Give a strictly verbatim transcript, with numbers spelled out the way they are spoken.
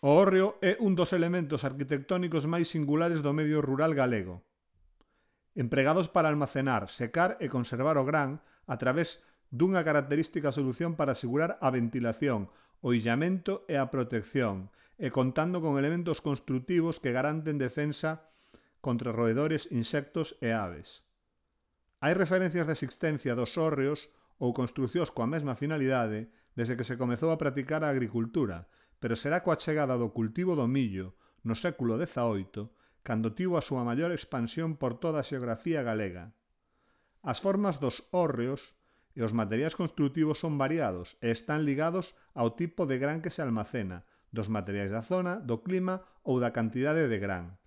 O hórreo é un dos elementos arquitectónicos máis singulares do medio rural galego. Empregados para almacenar, secar e conservar o gran a través dunha característica solución para asegurar a ventilación, o illamento e a protección, e contando con elementos construtivos que garanten defensa contra roedores, insectos e aves. Hai referencias de existencia dos hórreos ou construcións coa mesma finalidade desde que se comezou a practicar a agricultura, pero será coa chegada do cultivo do millo no século dezaoito cando tivo a súa maior expansión por toda a xeografía galega. As formas dos hórreos e os materiais construtivos son variados e están ligados ao tipo de gran que se almacena, dos materiais da zona, do clima ou da cantidade de gran.